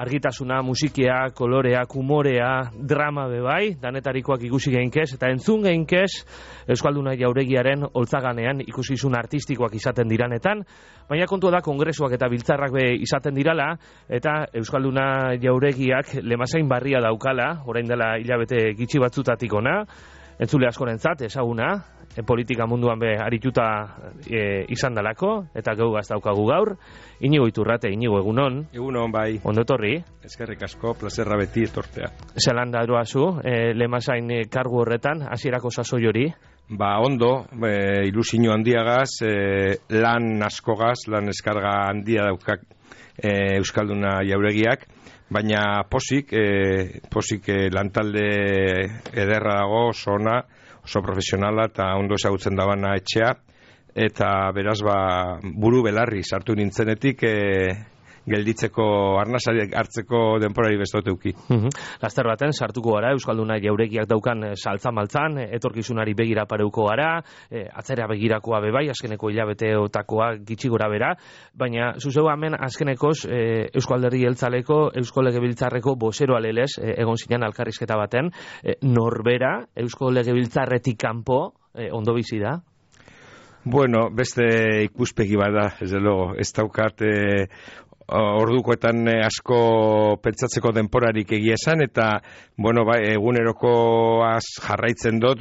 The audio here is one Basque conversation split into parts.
argitasuna, musikia, kolorea, humorea, drama bebai, danetarikoak ikusi geinkez, eta entzun geinkez Euskalduna Jauregiaren holtzaganean ikusizun artistikoak izaten diranetan, baina kontua da kongresuak eta biltzarrak be izaten dirala, eta Euskalduna Jauregiak lemazain barria daukala, orain dela hilabete gitxi batzutatik ona, entzule askorentzat ezaguna, politika munduan be arituta izan dalako, eta geugaz daukagu gaur. Inigo Iturrate, Inigo, egunon. Egunon, bai. Ondo etorri. Eskerrik asko, plazerra beti etortea. Zelan da eroazu, lemazain kargu horretan, hasierako sasoi hori? Ba, ondo, ilusio handiagaz, lan askogaz, lan eskarga handia daukak Euskalduna Jauregiak, baina posik lantalde ederra dago, oso ona, oso profesionala eta ondo ezagutzen dabana etxea, eta beraz buru belarri sartu nintzenetik gelditzeko arnasari hartzeko denporari bestoteuki. Laster baten sartuko gara Euskalduna Jauregiak daukan saltza-maltzan, etorkizunari begira pareuko gara, atzera begirakoa bebai, azkeneko hilabeteotakoa gitxi gora bera, baina zuzeu hemen azkenekoz Eusko Alderdi Jeltzaleko, Eusko Legebiltzarreko bozero alelez, egon zinean alkarrizketa baten, norbera Eusko Legebiltzarretik kanpo ondo bizi da? Bueno, beste ikuspegi bada, ez logo, ez daukat ordukoetan asko pentsatzeko denporarik egia esan, eta bueno, eguneroko jarraitzen dut,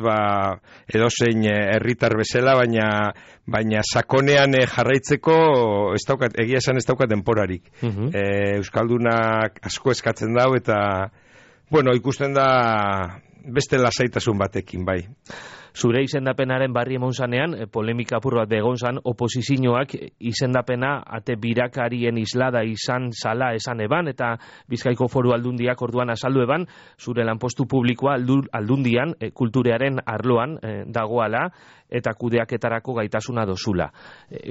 edozein herritar bezala, baina sakonean jarraitzeko egia esan ez daukat denporarik. Euskaldunak asko eskatzen dau, eta bueno, ikusten da beste lasaitasun batekin, bai. Zure izendapenaren barri emon zanean, polemika apur bat begon zan, oposizioak izendapena ate birakarien islada izan zala esan eban, eta Bizkaiko Foru Aldundiak orduan azaldu eban, zure lanpostu publikoa aldundian, kulturearen arloan dagoala, eta kudeaketarako gaitasuna dozula.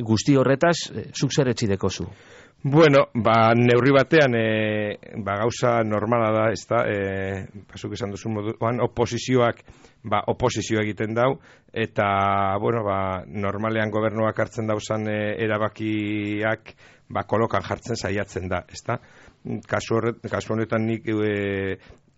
Guzti horretaz, zuk zer etxideko zu? Bueno, neurri batean gauza normala da, ezta, pasuk esan duzun moduan, oposizioak oposizio egiten dau, eta bueno, normalean gobernuak hartzen dauzan erabakiak kolokan jartzen saiatzen da, ezta? Kasu honetan nik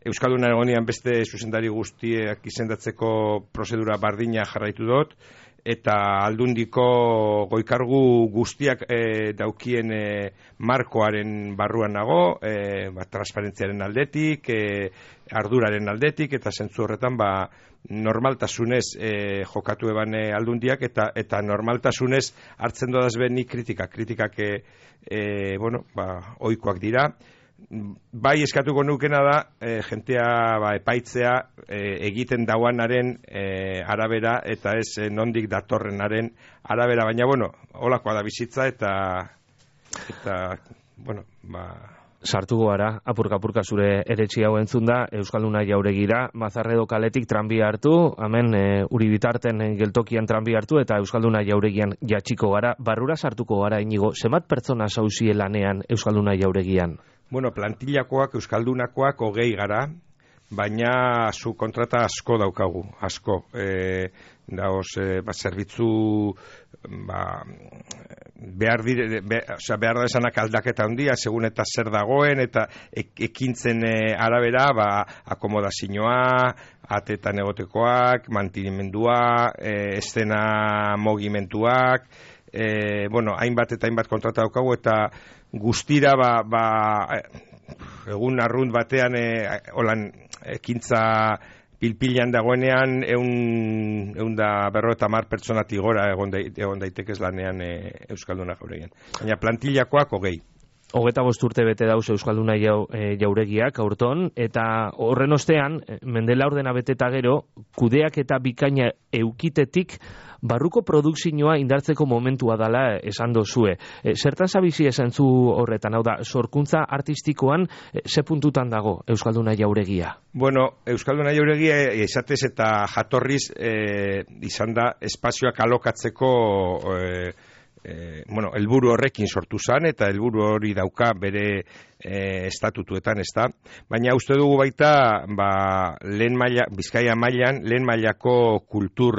Euskalduna egonean beste zuzendari guztiak izendatzeko prozedura bardina jarraitu dut, eta aldundiko goikargu guztiak daukien markoaren barruan nago, transparentziaren aldetik, arduraren aldetik, eta zentzu horretan normaltasunez jokatu eban aldundiak, eta normaltasunez hartzen dodaz nik kritikak ohikoak dira. Bai eskatuko nukena da jentea epaitzea egiten dauanaren arabera, eta ez nondik datorrenaren arabera, baina bueno, holakoa da bizitza, eta bueno, sartuko gara, apurka zure eretxi hau entzun da, Euskalduna Jauregira, Mazarredo kaletik tranbia hartu, hemen uri bitarten geltokian tranbia hartu, eta Euskalduna Jauregian jatxiko gara, barrura sartuko gara, Inigo, zenbat pertsona zauzie lanean Euskalduna Jauregian? Bueno, plantillakoak, euskaldunakoak 20 gara, baina zu kontrata asko daukagu, asko. Zerbitzu behar da esanak aldaketa handia, segun eta zer dagoen, eta ekintzen arabera, akomodazioa, atetan egotekoak, mantenimendua, estena mogimentuak, hainbat eta hainbat kontrata daukagu, eta guztira egun arrunt batean holan ekintza pilpilan dagoenean 150 pertsonatik gora egon daitekez lanean Euskalduna Jauregian. Baina plantillakoak 20. 25 urte bete dauz Euskalduna Jauregiak aurton, eta horren ostean, mendela ordena beteta gero, kudeak eta bikaina eukitetik barruko produkzioa indartzeko momentua dala esan dozue. Zertan zabizi esan zu horretan, hau da, sorkuntza artistikoan ze puntutan dago Euskalduna Jauregia? Bueno, Euskalduna Jauregia esatez eta jatorriz izan da espazioak alokatzeko helburu horrekin sortu zan, eta helburu hori dauka bere estatutuetan, ezta? Baina uste dugu baita, Bizkaia mailan, lehen mailako kultur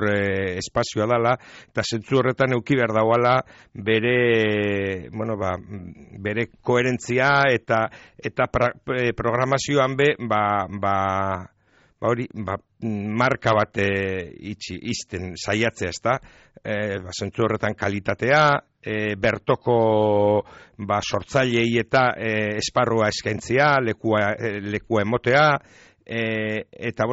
espazioa dela, eta zentzu horretan euki behar dauala bere koherentzia eta programazioan marka bat izten saiatzea, ezta? Zentzu horretan kalitatea, bertoko sortzailei eta esparrua eskaintzea, lekua emotea, eta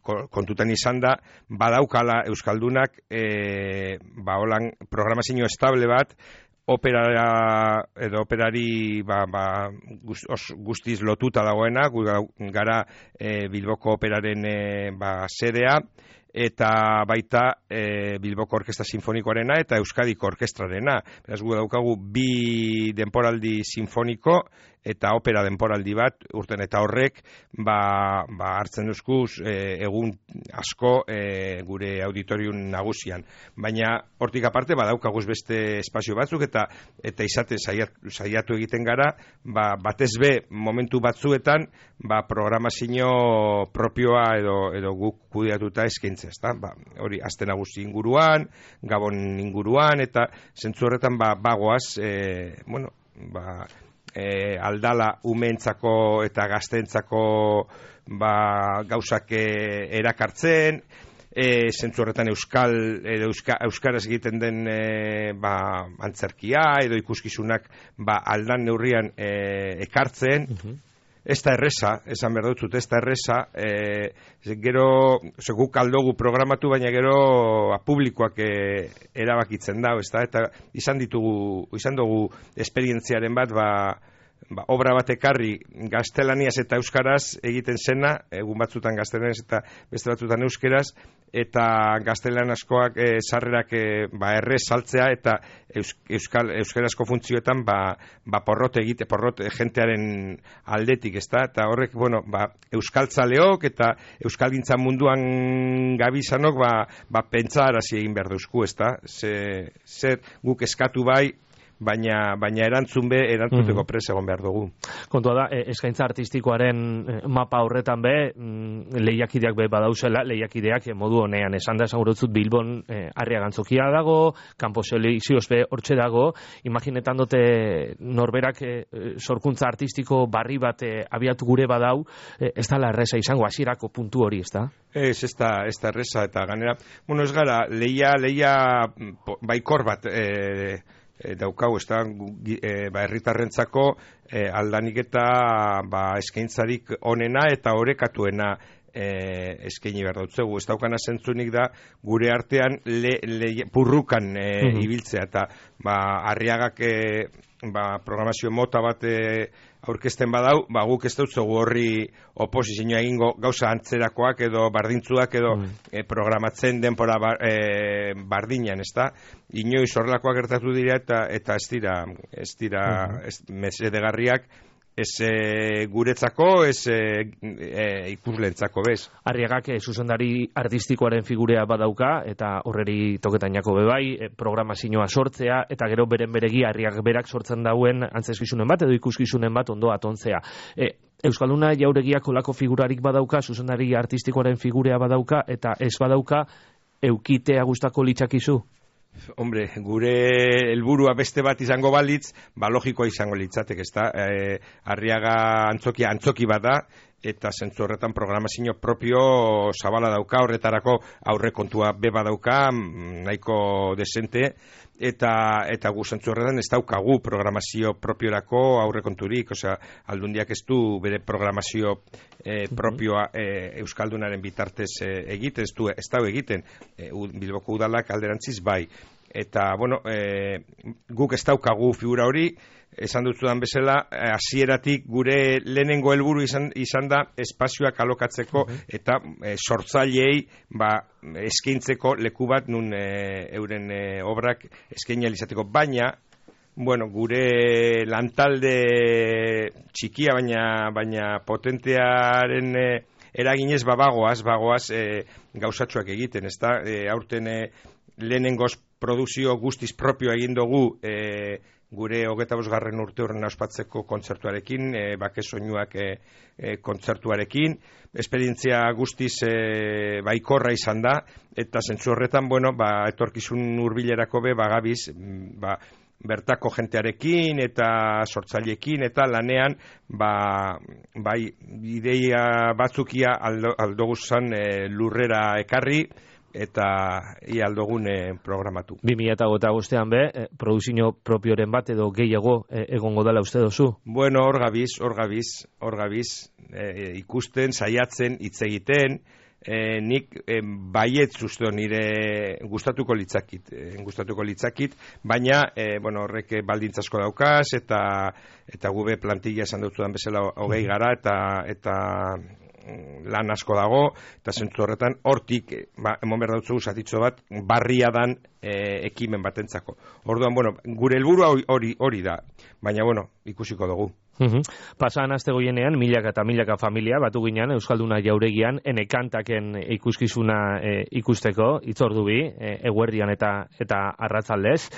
kontutan izan da, badaukala Euskaldunak holan programazio estable bat, operari guztiz lotuta dagoena, gara Bilboko operaren sedea, eta baita Bilboko Orkestra Sinfonikoarena eta Euskadiko Orkestrarena. Beraz, gu daukagu 2 denporaldi sinfoniko eta opera denporaldi bat, urten eta horrek hartzen duzkuz egun asko gure auditorium nagusian. Baina hortik aparte badaukaguz beste espazio batzuk eta izaten saiatu egiten gara, batez be momentu batzuetan programazio propioa edo guk kudeatuta eskaintzea, ezta? Hori Aste Nagusi inguruan, Gabon inguruan, eta zentzu horretan bagoaz, aldala umeentzako eta gazteentzako gauzak erakartzen, zentzu horretan euskaraz egiten den antzerkia edo ikuskizunak aldan neurrian ekartzen. Ez da erreza, esan behar dut, ez da erreza, gero, guk aldogu programatu, baina gero publikoak erabakitzen da, eta izan dugu esperientziaren bat, obra bat ekarri gaztelaniaz eta euskaraz egiten zena, egun batzutan gaztelaniaz eta beste batzutan euskeraz, eta gaztelanazkoak sarrerak errez saltzea eta euskarazko funtzioetan porrot jentearen aldetik, ezta? Eta horrek, euskaltzaleok eta euskalgintzan munduan gabizanok pentsarazi egin behar duzku, ezta? Zer guk eskatu bai, baina erantzuteko prest egon behar dugu. Kontua da, eskaintza artistikoaren mapa horretan lehiakideak badauzela, lehiakideak modu honean esan da, esan gurutzut Bilbon Arriagantzokia dago, Kanpo Selekzioz hortxe dago, imaginetan dute norberak sorkuntza artistiko barri bat abiatu gure badau, ez da la erreza izango, hasierako puntu hori, ez da? Ez da erreza, eta ganera, ez gara, lehia baikor bat daukau, ez da, herritarrentzako aldanik eta eskaintzarik onena eta orekatuena eskaini behar dautzegu. Ez daukana zentzunik da gure artean purrukan ibiltzea, eta Arriagak programazio mota bat aurkezten badau, guk ez dautzugu horri oposizioa egingo gauza antzerakoak edo bardintzuak edo programatzen denpora bardinan, ez da? Inoiz horrelakoak gertatu dira eta ez dira mesedegarriak, ez guretzako, ez ikusleentzako, bez. Arriagak zuzendari artistikoaren figurea badauka, eta horreri toketainako bebai, programazioa sortzea, eta gero beren beregi Arriagak berak sortzen dauen antzezkizunen bat, edo ikuskizunen bat ondo atontzea. Euskalduna Jauregiak olako figurarik badauka, zuzendari artistikoaren figurea badauka, eta ez badauka, eukitea gustako litzakizu? Hombre, gure helburua beste bat izango balitz, logikoa izango litzatek, ezta? Arriaga antzoki bat da, eta zentzu horretan programazio propio zabala dauka, horretarako aurrekontua beba dauka, nahiko desente, eta gu zentzu horretan ez daukagu programazio propiorako aurrekonturik, aldundiak ez du bere programazio propioa Euskaldunaren bitartez egiten, ez da egiten, Bilboko udalak alderantziz bai. Eta, guk ez daukagu figura hori, esan dutzudan bezala, hasieratik gure lehenengo helburu izan da espazioak alokatzeko eta sortzaileei eskaintzeko leku bat nun euren obrak eskaini izateko. Baina, gure lantalde txikia baina potentearen eraginez bagoaz gauzatxoak egiten, ezta? Aurten lehenengoz produzio guztiz propio egin dugu gure 25. urte horren ospatzeko kontzertuarekin, bake soinuak kontzertuarekin, esperientzia guztiz baikorra izan da, eta zentzu horretan, etorkizun hurbilerako bagabiz, bertako jentearekin eta sortzaileekin eta lanean bai ideia batzukia aldoguzan lurrera ekarri eta ia aldogun programatu. 2025an produzio propioren bat edo gehiago egongo dela uste dozu? Bueno, hor gabiz, ikusten, saiatzen, hitz egiten, nik baiet zuzto nire gustatuko litzakit, baina horrek baldintza asko daukaz eta gube plantilla esan dutzudan bezala 20 gara eta lan asko dago, eta zentzu horretan hortik emon behar dutzu zatitzo bat barria dan ekimen batentzako. Orduan, gure helburua hori da, baina ikusiko dugu. Pasan aste goienean, milaka eta milaka familia batu ginen Euskalduna Jauregian enekantaken ikuskizuna ikusteko, itzordu bi, eguerdian eta arratzaldez.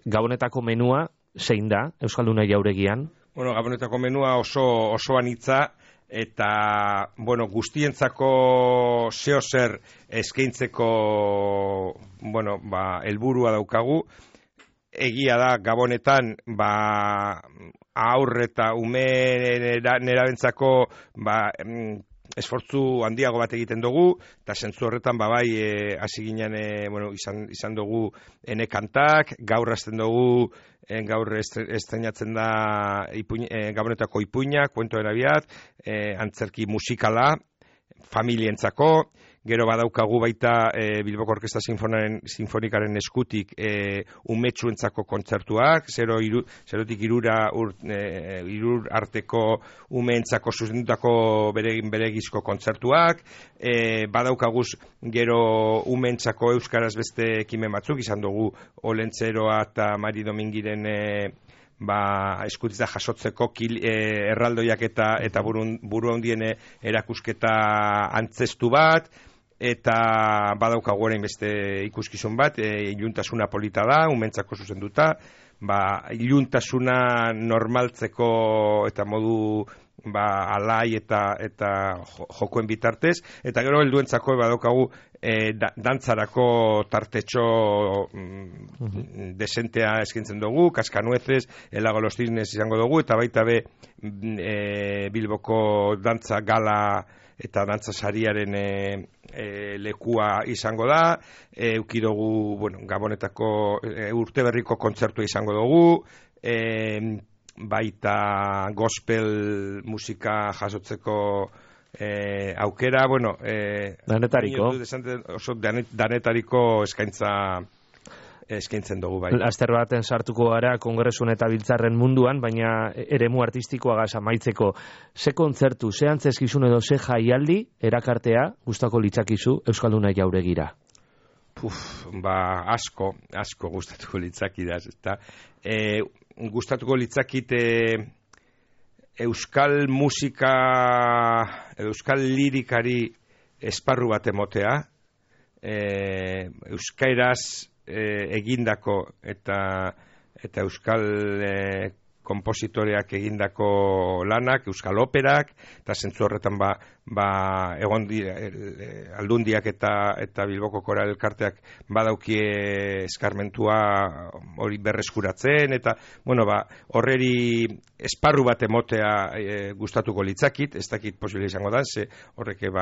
Gabonetako menua zein da Euskalduna Jauregian? Gabonetako menua oso anitza, eta guztientzako zeo zer eskaintzeko helburua daukagu. Egia da Gabonetan aurre eta ume nerabentzako esfortzu handiago bat egiten dugu, eta zentzu horretan hasi ginen izan dugu enekantak, gaur hasten dugu, gaur estrenatzen da Gabonetako ipuinak, kuento erabiat, antzerki musikala, familientzako, gero badaukagu baita Bilboko Orkestra Sinfonikaren eskutik umetsuentzako kontzertuak, zerotik irur arteko umeentzako zuzendutako beregizko kontzertuak, badaukaguz gero umeentzako euskaraz beste ekimen batzuk, izan dugu Olentzeroa eta Mari Domingiren eskutitza jasotzeko erraldoiak eta buru handien erakusketa antzestu bat, eta badaukagu orain beste ikuskizun bat, iluntasuna polita da, umentzako zuzenduta, iluntasuna normaltzeko eta modu alai eta jokoen bitartez, eta gero helduentzako badaukagu dantzarako tartetxo desentea eskintzen dugu, Kaskanueces, El Lago de los Cisnes izango dugu, eta baita Bilboko dantza gala eta dantza sariaren lekua izango da, eukidogu Gabonetako urteberriko kontzertua izango dugu, baita gospel musika jasotzeko aukera, danetariko eskaintzen dugu bai. Laster baten sartuko gara kongresun eta biltzarren munduan, baina eremu artistikoa amaitzeko. Ze kontzertu, ze antzeskizun edo ze jaialdi erakartea gustako litzakizu Euskalduna Jauregira? Asko gustatuko litzakidaz, eta gustatuko litzakit euskal musika, euskal lirikari esparru bat emotea, euskairaz egindako eta euskal kompositoreak egindako lanak, euskal operak, eta zentzu horretan egon aldundiak eta Bilboko Koral Elkarteak badaukie eskarmentua hori berreskuratzen, eta horreri esparru bat emotea gustatuko litzakit, ez dakit posible izango da, ze horreke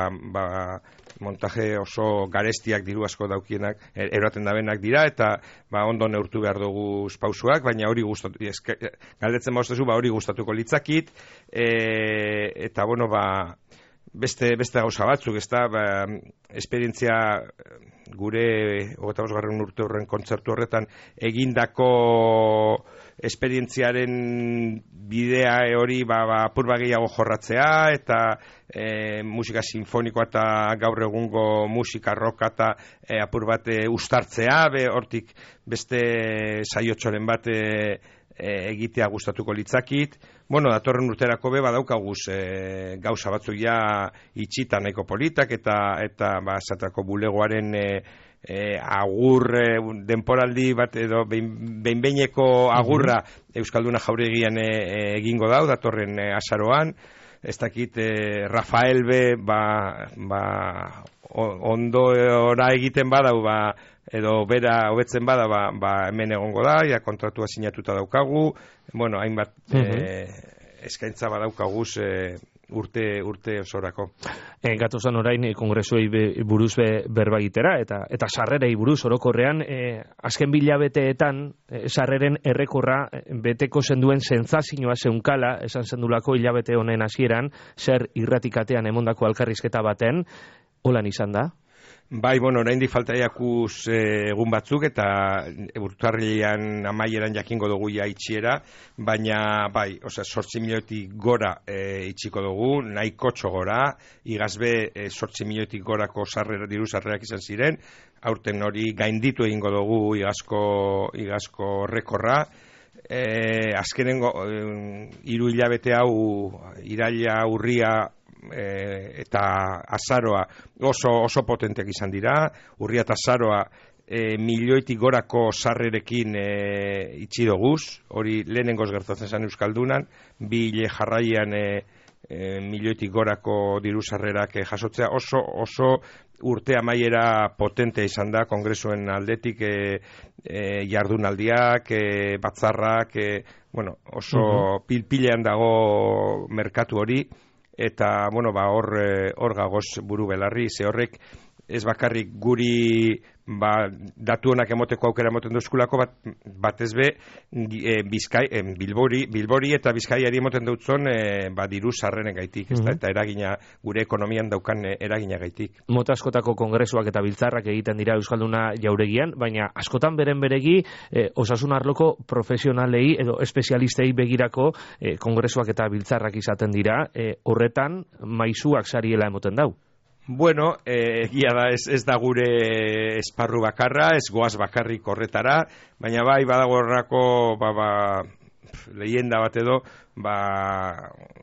montaje oso garestiak diru asko daukienak, eroaten dabenak dira, eta ondo neurtu behar dugu pausuak, baina hori galdetzen hori gustatuko litzakit, eta beste gauza batzuk, esperientzia gure 25. urte horren kontzertu horretan egindako esperientziaren bidea hori apur gehiago jorratzea, eta musika sinfonikoa eta gaur egungo musika roka eta apur bat ustartzea, hortik beste saiotxoren bat egitea gustatuko litzakit. Datorren urterako badaukaguz gauza batzuk ja itxita nahiko politak, eta esatako bulegoaren agur denporaldi bat edo behinbeineko agurra Euskalduna Jauregian egingo dau, datorren azaroan. Ez dakit Rafael be ondora egiten badau, edo bera hobetzen bada, hemen egongo da, ja kontratua sinatuta daukagu, bueno, hainbat eskaintza badaukaguz urte osorako. Gatozan orain kongresuei buruz berba egitera, eta sarrerei buruz orokorrean, azken bilabeteetan sarreren errekorra beteko zenduen sentsazioa zeunkala, esan zendulako hilabete honen hasieran, zer irratikatean emondako alkarrizketa baten, holan izan da? Bai, bueno, oraindik falta jakuz egun batzuk eta urtarrilean amaieran jakingo dugu ja itxiera, baina bai, 8 milioitik gora itxiko dugu, nahikotxo gora, igazbe 8 milioitik gorako diru sarrerak izan ziren, aurten hori gainditu egingo dugu igazko rekorra. Azkenengo 3 hilabete hau, iraila, urria eta azaroa oso potenteak izan dira. Urria eta azaroa milioitik gorako sarrerekin itxi doguz, hori lehenengoz gertatzen zen Euskaldunan, 2 hile jarraian milioitik gorako diru sarrerak jasotzea, oso urte amaiera potente izan da kongresuen aldetik, jardunaldiak, batzarrak, bueno, oso pilpilean dago merkatu hori. Eta, bueno, hor gagoz buru belarri, ze horrek ez bakarrik guri datu honak emoteko aukera emoten duzkulako, bat ez be Bilbori eta Bizkaiari emoten dutzon diru sarreren gaitik, eta eragina, gure ekonomian daukan eragina gaitik. Mota askotako kongresuak eta biltzarrak egiten dira Euskalduna Jauregian, baina askotan beregi osasun arloko profesionalei edo espezialistei begirako kongresuak eta biltzarrak izaten dira, horretan maizuak sariela emoten dau. Bueno, egia da ez da gure esparru bakarra, ez goaz bakarrik horretara, baina bai badago horrako leyenda bat edo,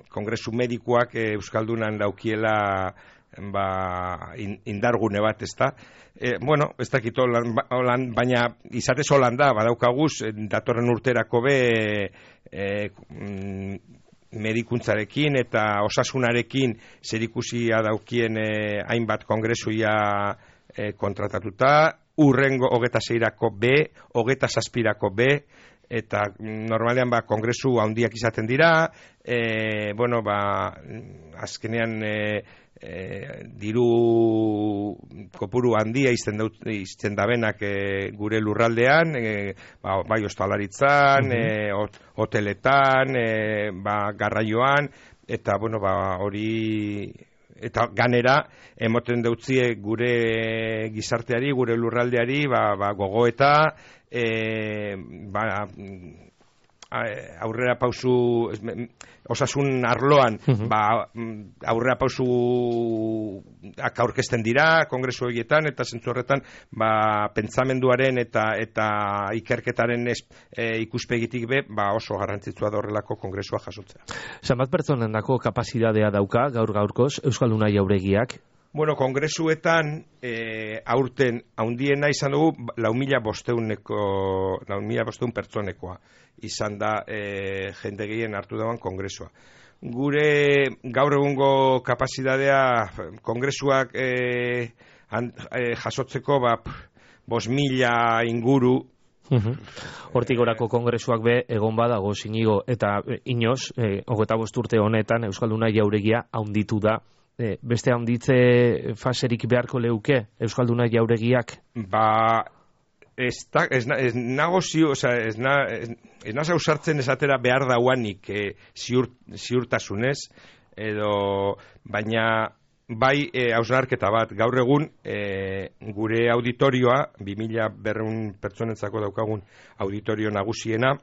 kongresu medikuak Euskaldunan daukiela indargune bat, ezta. Bueno, ez dakit holan, baina izatez holan da, badaukaguz, datorren urterako medikuntzarekin eta osasunarekin zerikusia daukien hainbat kongresuia kontratatuta, urrengo 26rako B, 27rako B, eta normalean kongresu handiak izaten dira, bueno, azkenean diru kopuru handia izten dabenak gure lurraldean, bai ostalaritzan, hoteletan, garraioan, eta bueno, hori eta ganera emoten deutzie gure gizarteari, gure lurraldeari gogoeta, aurrera pausu osasun arloan aurrera pausu aurkezten dira kongresu horietan, eta zentzu horretan pentsamenduaren eta ikerketaren ikuspegitik oso garrantzitsua da horrelako kongresua jasotzea. Zenbat pertsonendako kapazitatea dauka gaurkoz Euskalduna Jauregiak? Bueno, kongresuetan aurten haundiena izan dugu 4.500 pertsonekoa izan da jende gehien hartu dagoen kongresua. Gure gaur egungo kapazitatea kongresuak jasotzeko 5.000 inguru. Hortik gorako kongresuak egon badago Inigo eta Inoz, 25 urte honetan Euskalduna Jauregia haunditu da. Beste handitze faserik beharko leuke Euskalduna Jauregiak? Ez nago ausartzen esatera behar dauanik ziurtasunez, baina bai hausnarketa bat. Gaur egun gure auditorioa, 2.200 pertsonentzako daukagun auditorio nagusiena,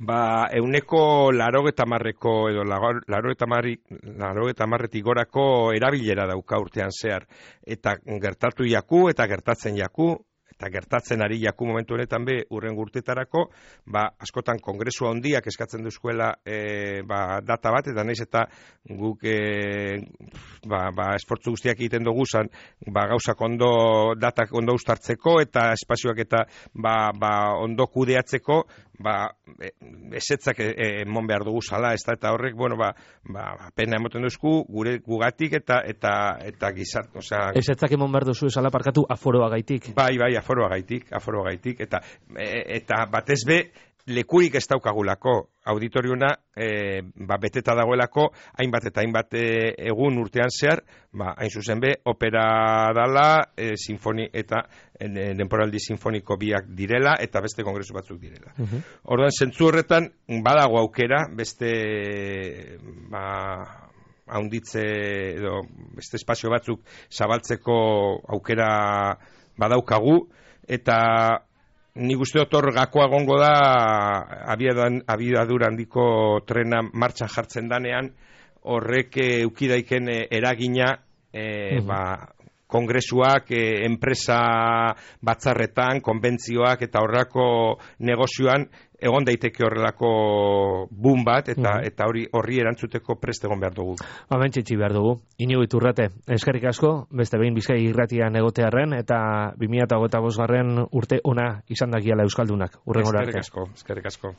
80%ko edo 80%tik gorako erabilera dauka urtean zehar, eta gertatu jaku eta gertatzen jaku, gertatzen ari jaku momentu honetan be urrengo urtetarako, askotan kongresua handiak eskatzen duzkuela data bat, eta naiz eta guk esfortzu guztiak egiten dugu zan, gauzak ondo, datak ondo ustartzeko, eta espazioak eta ondo kudeatzeko, esetzak emon behar dugu zala, eta horrek, pena emoten duzku, gugatik eta gizart, osea... Esetzak emon behar duzu esala parkatu aforoa gaitik. Bai, aforoa gaitik, eta batez be, lekurik ez daukagulako auditoriuna beteta dagoelako, hainbat egun urtean zehar, hain zuzen be, opera dala, eta denporaldi sinfoniko biak direla, eta beste kongresu batzuk direla. Orduan, zentzu horretan, badago aukera, beste haunditze edo beste espazio batzuk zabaltzeko aukera badaukagu, eta nik uste dut hor gakoa egongo da abiadura handiko trena martxan jartzen danean, horrek eukidaiken eragina kongresuak, enpresa batzarretan, konbentzioak eta horrelako negozioan egon daiteke horrelako boom bat, eta horri erantzuteko prest egon behar dugu. Txitsi behar dugu. Inigo Iturrate, eskerrik asko, beste behin Bizkai Irratian egotearren, eta 2025 urte ona izan dakiala Euskaldunak. Urrengora arte. Eskerrik asko.